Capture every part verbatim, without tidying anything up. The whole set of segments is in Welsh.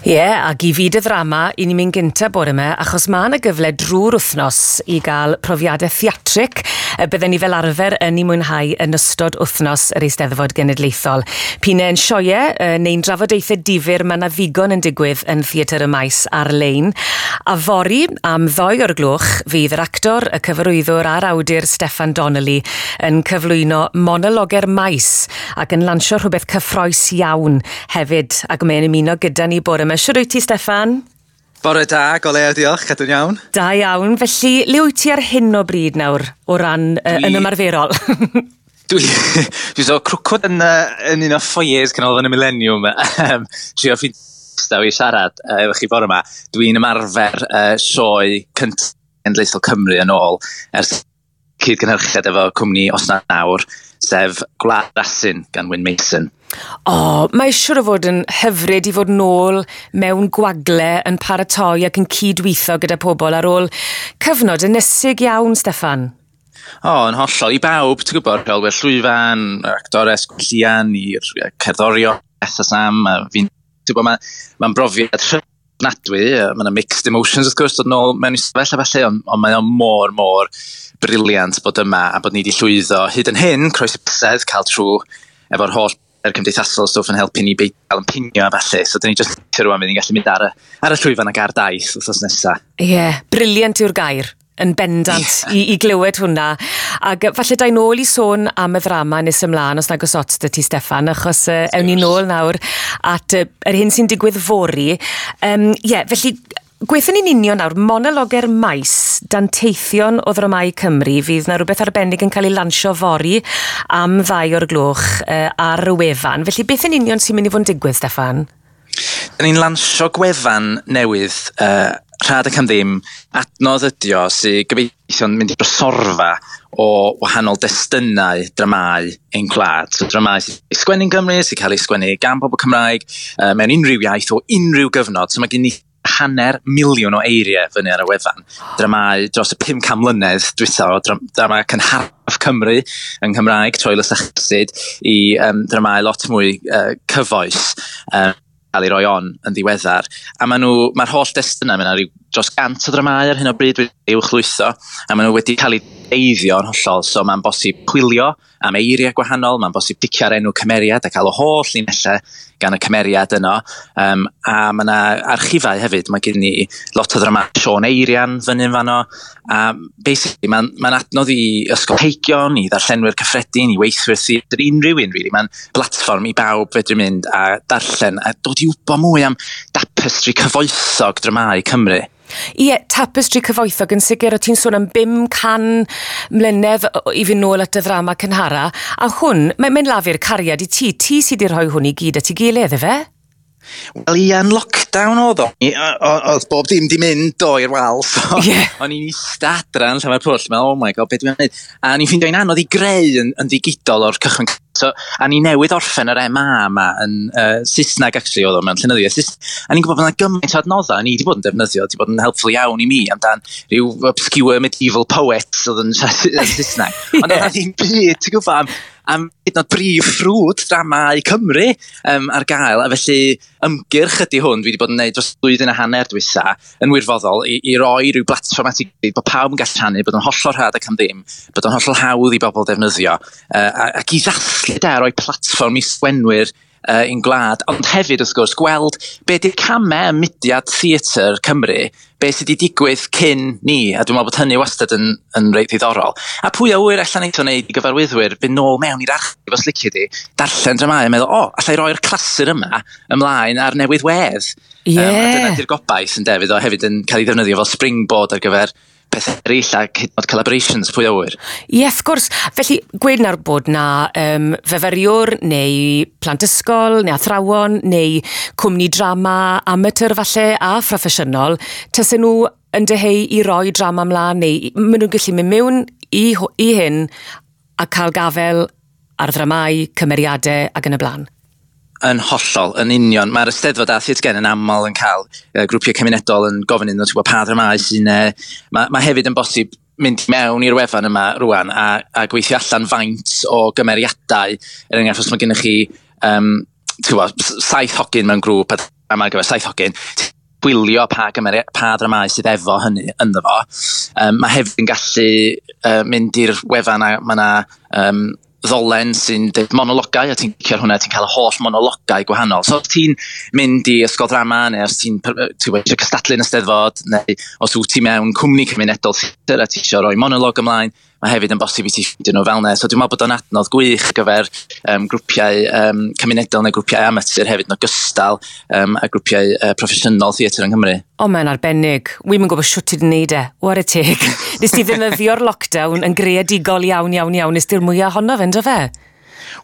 Ie, yeah, ac i fyd y ddrama, i ni'n mynd gynta bore yma, achos mae yna gyfle drwy'r wythnos i gael profiadau theatrig y bydden ni fel arfer yn ei mwynhau yn ystod wythnos yr Eisteddfod Genedlaethol. P'un e'n sioe neu'n drafodaethau difyr, mae yna ddigon yn digwydd yn Theatr y Maes ar-lein. A fory, am ddoi o'r gloch, fydd yr actor, y cyfarwyddwr a'r awdur Steffan Donnelly yn cyflwyno monologau'r maes ac yn lansio rhywbeth cyffrous iawn hefyd, ac mae'n ymuno gyda ni bore yma. Shwd wyt ti, Steffan? Bore da, go lew, diolch, cadw'n iawn. Da iawn. Felly, le wyt ti ar hyn o bryd nawr o ran uh, yn ymarferol? Dwi, dwi so crwcod yn, uh, yn un o foyers Canolfan y Millennium. Um, trio ffeindio i siarad uh, efo chi bore yma. Dwi'n ymarfer uh, sioe cyntaf Genedlaethol Cymru yn ôl ers cyd-gynhyrchiad efo cwmni Os Na Nawr, sef Gwlad Asyn gan Wyn Mason. O, oh, mae siŵr o fod yn hyfryd i fod nôl mewn gwagle yn paratoi ac yn cydweithio gyda pobl ar ôl cyfnod ynysig iawn, Steffan. O, oh, yn hollol. I bawb, ti'n gwybod, rheolwyr llwyfan, yr actores, Gwenllian, i'r cerddorion, Beth a Sam, a fi'n, ti'n gwybod, mae'n ma brofiad rhyfnadwy, mae yna mixed emotions wrth gwrs, dod nôl mewn i stafell a felly, ond on mae o mor, mor brilliant bod yma a bod ni wedi llwyddo hyd yn hyn, croesi bysedd, cael trwy efo'r holl yr cymdeithasol stwff yn helpu ni beidio cael yn pingio a felly. So, dyn ni jyst rwan fydd ni'n gallu mynd ar y, ar y llwyfan ac ar daith wythnos nesaf. Ie, yeah, brilliant yw'r gair yn bendant yeah. i, i glywed hwnna. Ac falle da i nôl i sôn am y ddrama nes ymlaen, os nag oes ots 'da ti, Steffan, achos uh, ewn ni nôl nawr at uh, yr hyn sy'n digwydd fory. Ie, um, yeah, felly gweithio ni'n union nawr, monologau'r maes, danteithion o ddramâu Cymru, fydd na rhywbeth arbennig yn cael ei lansio fory am ddau o'r gloch uh, ar y wefan. Felly beth yn union sy'n mynd i fod yn digwydd, Steffan? Da ni'n lansio gwefan newydd uh, rhad ac am ddim, adnodd ydi o sy'n gobeithio'n mynd i drysorfa o wahanol destunau dramau ein gwlad. So dramau sy'n cael ei sgwennu yn Gymru, sy'n cael ei sgwennu gan bobl Cymraeg, uh, mewn unrhyw iaith o unrhyw gyfnod. So mae gen i hanner miliwn o eiriau fyny ar y wefan. Dramau dros y pum can mlynedd dwytha o dramau cynharaf Cymru yn Nghymraeg, Troelus a Chasyd, i um, dramau lot mwy uh, cyfoes. Um, cael ei roi on yn ddiweddar. A maen nhw, mae'r holl destunau, mae yna rhyw dros gant o dramau ar hyn o bryd wedi uwchlwytho, a maen nhw wedi cael eu eiddio yn hollol, so mae'n bosib chwilio am eiriau gwahanol, mae'n bosib dicio ar enw cymeriad a cael y holl linellau gan y cymeriad yno. Um, a mae yna archifau hefyd, mae gen ni lot o ddrama Siôn Eirian fyny yn fanno. A basically, mae'n ma adnodd i ysgolheigion, i ddarllenwyr cyffredin, i weithwyr theatr, unrhyw un, really. Mae'n blatfform i bawb fedru mynd a darllen a dod i wybod mwy am tapestry cyfoethog dramâu Cymru. Ie, tapestry cyfoethog yn sicr, o ti'n sôn am bum can mlynedd i fynd nôl at y ddrama cynhara, a hwn, mae'n mae lafur cariad i ti, ti sydd wedi rhoi hwn i gyd at ei gilydd, efe? Wel, ie, yn lockdown oedd o. Oedd bob dim di mynd do i'r wal, so yeah. O'n i'n eista adra yn Llanfairpwll, meddwl, "Oh my God, beth dwi'n gwneud?" A o'n i'n ffeindio hi'n anodd i greu yn, yn ddigidol o'r cychwyn. So, a ni newydd orffen yr M A yma yn uh, Saesneg, actually, oedd o mewn llenyddiaeth Saesneg. A ni'n gwybod bod yna gymaint o adnoddau ni wedi bod yn defnyddio, wedi bod yn helpful iawn i mi amdan rhyw obscure medieval poets oedd yn siarad yn Saesneg. Ond oedd yeah. ddim byd, ti'n gwybod, am, am hyd yn oed brif ffrwd dramau Cymru um, ar gael. A felly ymgyrch ydy hwn, dwi wedi bod yn gwneud dros blwyddyn a hanner dwytha yn wirfoddol i, i roi rhyw blatfform at ei gilydd, bod pawb yn gallu rhannu, bod yn hollol rhad ac am ddim, bod yn hollol hawdd i bobl defnyddio, uh, ac i ddathlu da, roi platfform i sgwenwyr uh, i'n gwlad, ond hefyd wrth gwrs gweld be di'r camau ym mudiad theatr Cymru, be sydd wedi digwydd cyn ni, a dwi'n meddwl bod hynny wastad yn, yn reit ddiddorol. A pwy a ŵyr allan eto wneud i gyfarwyddwyr fynd nôl mewn i'r archif os licio di, darllen dramau a meddwl, "O, oh, allai roi'r clasur yma ymlaen ar newydd wedd." Ie. Um, a dyna di'r gobaith yn defyd o hefyd yn cael ei ddefnyddio fel springboard ar gyfer pethau eraill ac hyd yn oed collaborations, pwy a ŵyr. Ie, wrth gwrs. Felly, gweud nawr bod na um, fyfyriwr neu plant ysgol neu athrawon neu cwmni drama amateur falle a phroffesiynol, tasen nhw yn dyheu i roi drama ymlaen neu maen nhw'n gallu mynd mewn i, i hyn a cael gafel ar ddramau, cymeriadau ac yn y blaen. Yn hollol, yn union. Mae'r Eisteddfod a Theatr Gen yn aml yn cael uh, grwpiau cymunedol yn gofyn iddyn nhw, ti'n gwybod, pa ddramau sy'n... Uh, mae, mae hefyd yn bosib mynd mewn i'r wefan yma rwan a, a gweithio allan faint o gymeriadau. Er enghraifft, os mae gennych chi um, ti'n gwybod, saith hogyn mewn grŵp a drama ar gyfer saith hogyn, gwylio pa, gymeri, pa dramau sydd efo hynny ynddo fo. Um, mae hefyd yn gallu uh, mynd i'r wefan a mae yna um, ddolen sy'n deud monologau, a ti'n clicio hwnna, ti'n cael y holl monologau gwahanol. So os ti'n mynd i ysgol drama, neu os ti'n ti eisiau cystadlu yn y Steddfod, neu os wyt ti mewn cwmni cymunedol theatr a ti eisiau rhoi monolog ymlaen, mae hefyd yn bosib i ti ffeindio nhw fel 'na. So dwi'n meddwl bod o'n adnodd gwych ar gyfer um, grwpiau um, cymunedol neu grwpiau amatur hefyd yn ogystal um, a grwpiau uh, proffesiynol theatr yng Nghymru. O, mae'n arbennig. Wi'm yn gwybod shwt ti 'di wneud e. Whare teg. Nes ti ddefnyddio'r lockdown yn greadigol iawn, iawn, iawn. Nes ti'r mwyaf ohono fe, ynddo fe?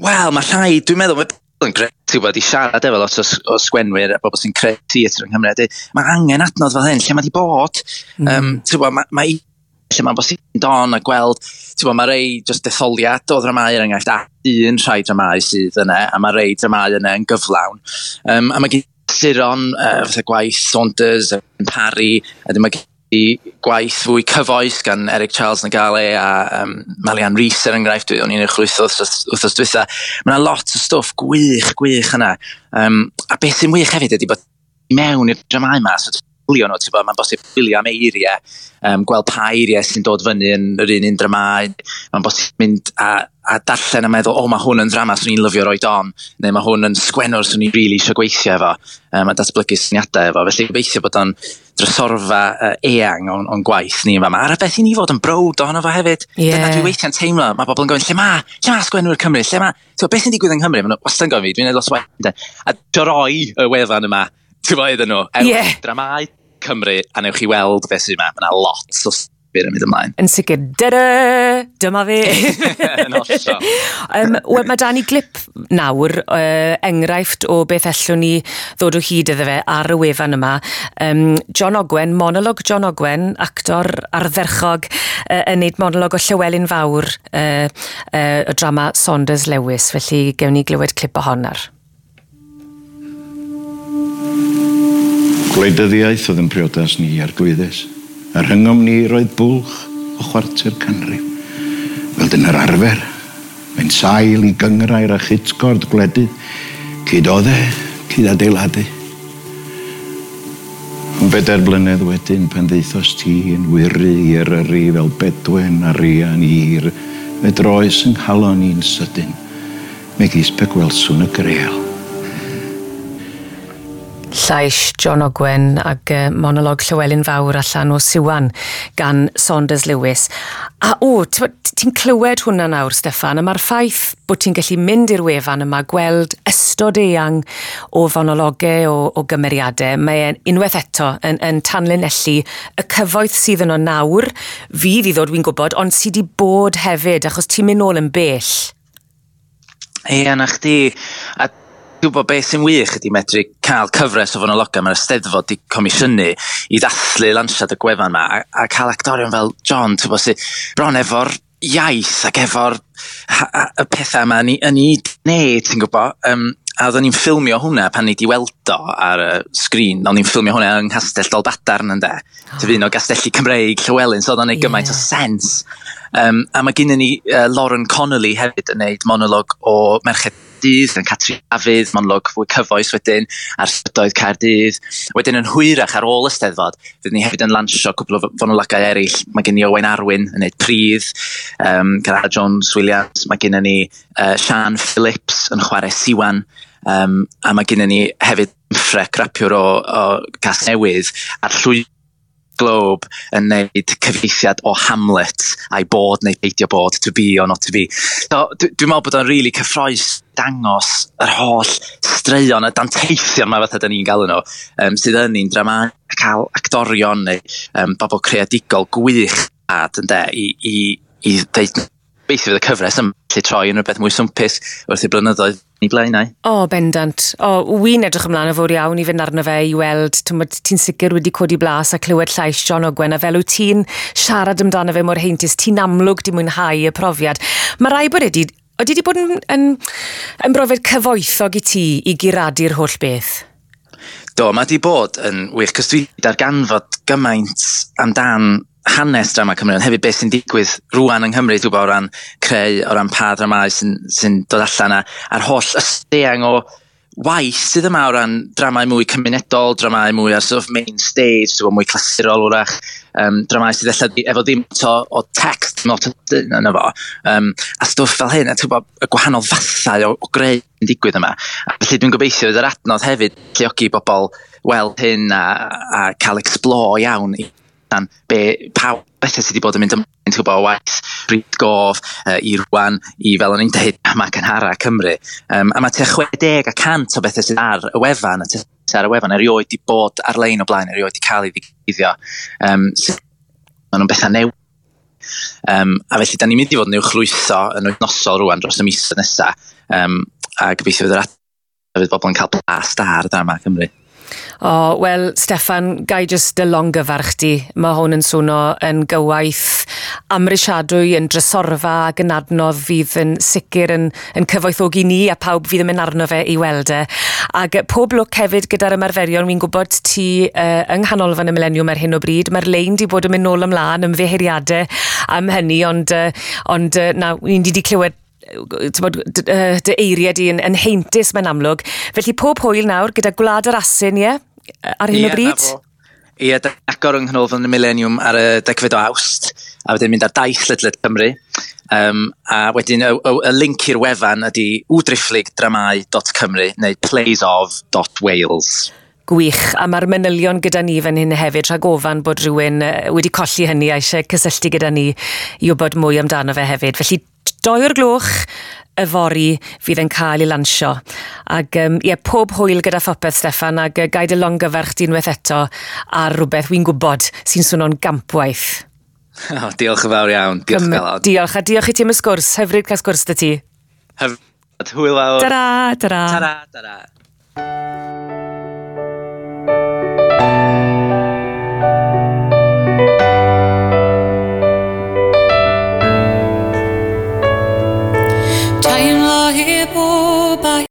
Wel, mae rhai, dwi'n meddwl, mae yn grêt, ti'n gwybod, i siarad efo lot o, o sgwenwyr a bobl sy'n creu theatr yng Nghymru. A dweud, mae angen adnodd fel hyn, lle mae di bod? Mm. Um, ti'n gwybod, mae, mae lle mae'n bosib don a gweld, ti'n gwybod, mae rei just detholiad o dramau er enghraifft, a un rhai dramau sydd yna, a mae rei dramau yna yn gyflawn. Um, a mae gen Suron, uh, fatha gwaith Saunders, Parry, a mae gen gwaith fwy cyfoes gan Eric Charles Nagale a um, Malian Rees er enghraifft, o'n i'n uwchlwytho wythnos dwytha. Mae yna lot o stwff gwych, gwych yna. Um, a beth sy'n wych hefyd ydy bod mewn i'r dramau yma, so gwylio nhw, ti'n mae'n bosib gwylio am eiriau, um, gweld pa eiriau sy'n dod fyny yn yr un un dramau, mae'n bosib mynd a, a darllen a meddwl, o, mae hwn yn ddrama swn i'n lyfio roid on, neu mae hwn yn sgwennwr swn i'n really eisiau gweithio efo, um, a datblygu syniadau efo. Felly gobeithio bod o'n drysorfa uh, eang o'n, o'n gwaith ni yn fama. A'r beth i ni fod yn browd ohono fo hefyd. Yeah. Dyna dwi weithiau'n teimlo, mae bobl yn gofyn, lle ma, lle ma sgwennwyr Cymru, lle ma, ti'n gwbod, beth sy'n digwydd yng Nghymru? Maen nhw wastad yn gofyn fi, dwi'n neud lot o waith. A droi y wefan yma, ti'n gwbod iddyn nhw, ewch Ie. dramau Cymru, a newch chi weld beth sy'n yma. Mae yna lot o sbir yn mynd ymlaen. Yn sicr, dyda, dyma fe. Yn hollol. um, Wel, mae da ni glip nawr, uh, enghraifft o beth ellwn ni ddod o hyd iddo fe ar y wefan yma. Um, John Ogwen, monolog John Ogwen, actor ardderchog, uh, yn neud monolog o Llywelyn Fawr, uh, uh, y drama Saunders Lewis. Felly gewn ni glywed clip o hon ar. Gwleidyddiaeth oedd yn priodas ni arglwyddes, a rhyngom ni roedd bwlch o chwarter canrif. Fel dyna'r arfer, mae'n sail i gynghrair a chytgord gwledydd, cyd-odde, cyd-adeiladu. Ond bedair blynedd wedyn, pan ddeithos ti yn wyru i Eryri fel Bedwen a Rian hir, fe droes yng nghalon i'n sydyn, megis pe gwelswn y Greal. Llais John Ogwen ag uh, monolog Llywelyn Fawr allan o Siwan gan Saunders Lewis. A o, ti'n clywed hwnna nawr, Steffan, a mae'r ffaith bod ti'n gallu mynd i'r wefan yma, gweld ystod eang o fonologau, o, o gymeriadau, mae'n unwaith eto yn, yn tanlinellu y cyfoeth sydd yno nawr, fydd i ddod, wy'n gwybod, ond sydd wedi bod hefyd, achos ti'n mynd nôl yn bell. Ie, na chdi. A dwi'n gwybod beth sy'n wych ydy medru cael cyfres o fonologau mae'r Eisteddfod di comisiynu i ddathlu lansiad y gwefan yma a, a cael actorion fel John, ti'n gwybod, sy bron efo'r iaith ac efo'r y pethau yma yn ei wneud, ti'n gwybod. Um, a oedden ni'n ffilmio hwnna pan ni di weld o ar y sgrin, o'n ni'n ffilmio hwnna yng Nghastell Dolbadarn ynde. Oh. Sef un o gastelli Cymreig Llywelyn, so oedd o'n neud gymaint o sens. Um, a mae gennym ni uh, Lauren Connolly hefyd yn neud monolog o Merched Dydd, yn Catrin Dafydd, monolog fwy cyfoes wedyn, ar strydoedd Caerdydd. Wedyn yn hwyrach ar ôl y Steddfod, fyddwn ni hefyd yn lansio cwpl o fonologau eraill. Mae gen i Owain Arwyn yn neud Pridd, um, Cara Jones Williams, mae gennym ni uh, Sian Phillips yn chwarae Siwan, um, a mae gennym ni hefyd Ffrec, rapiwr o, o Casnewydd, a'r llwy Globe yn neud cyfieithiad o Hamlet, a'i bod neu beidio bod, to be or not to be. So, dwi'n meddwl bod o'n really cyffrous dangos yr holl straeon, y danteithion yma fatha da ni'n galw nhw, um, sydd yn un drama, cael actorion neu um, bobl creadigol gwych ad, ynde, i, i, i ddeud beth fydd y cyfres yn gallu troi yn rhywbeth mwy swmpus wrth i'r blynyddoedd i blaenau. O, bendant. O, wy'n edrych ymlaen yn fawr iawn i fynd arno fe i weld, ti'n sicr wedi codi blas a clywed llais John Ogwen, a fel wyt ti'n siarad amdano fe mor heintus, ti'n amlwg di mwynhau y profiad. Mae rai bod wedi, oeddi wedi bod yn, yn, yn brofiad cyfoethog i ti i guradu'r holl beth? Do, mae di bod yn wych, cos dwi darganfod gymaint amdan hanes drama Cymru, ond hefyd beth sy'n digwydd rwan yng Nghymru, dwi'n gwybod, o ran creu, o ran pa dramau sy'n sy dod allan, a, a'r holl ystod eang o waith sydd yma o ran dramau mwy cymunedol, dramau mwy ar sort of main stage, so mwy clasurol wrach, um, dramau sydd ella efo ddim to, o text, not yna fo, um, a stwff fel hyn, a ti'n gwybod, y gwahanol fathau o, o greu yn digwydd yma. A felly dwi'n gobeithio fydd yr adnodd hefyd alluogi bobl weld hyn a, a cael explore iawn i allan be, pa bethau sydd wedi bod yn mynd ymlaen, ti'n gwybod, o waith Bryd Gof uh, i rwan, i fel o'n i'n dweud, yma cynhara Cymru. Um, a mae tua chwe deg a cant o bethau sydd ar y wefan, a tua ar y wefan erioed di bod ar-lein o blaen, erioed di cael ei ddigiddio. Um, maen nhw'n bethau newydd. Um, a felly, da ni'n mynd i fod yn uwchlwytho yn wythnosol rwan dros y misoedd nesaf. Um, a gobeithio fydd yr adnodd fydd bobl yn cael blas da ar y drama Cymru. O, oh, wel, Steffan, gai jyst dy longyfarch di. Mae hwn yn swno yn gywaith amhrisiadwy, yn drysorfa ac yn adnodd fydd yn sicr yn, yn cyfoethogi ni a pawb fydd yn mynd arno fe i weld e. Ac pob lwc hefyd gyda'r ymarferion, wi'n gwybod ti uh, yng Nghanolfan y Mileniwm ar hyn o bryd. Mae'r lein di bod yn mynd nôl ymlaen, ymddiheuriadau am hynny, ond, uh, ond uh, na, ni'n di clywed t'mod, dy, dy eiriau di yn, yn heintus mae'n amlwg. Felly pob hwyl nawr gyda Gwlad yr Asyn, ie? Ar hyn Ie, o bryd? Ie, da agor yng Nghanolfan y Mileniwm ar y degfed o Awst, a wedyn mynd ar daith ledled Cymru. Um, a wedyn y, y, y link i'r wefan ydy w driphlyg dramau dot cymru neu plays of dot wales. Gwych, a mae'r manylion gyda ni fan hyn hefyd, rhag ofan bod rhywun wedi colli hynny a eisiau cysylltu gyda ni i wybod mwy amdano fe hefyd. Felly, doi o'r gloch yfory fydd yn cael ei lansio. Ac um, ie, pob hwyl gyda phopeth, Steffan, ac uh, gai dy longyfarch di unwaith eto ar rhywbeth wy'n gwybod sy'n swno'n gampwaith. Oh, diolch yn fawr iawn. Diolch Cym- galon. Diolch, a diolch i ti am y sgwrs. Hyfryd cael sgwrs 'da ti. Hyfryd. Hwyl fawr. Tara, tara. Tara, tara. Teimlo hi bob a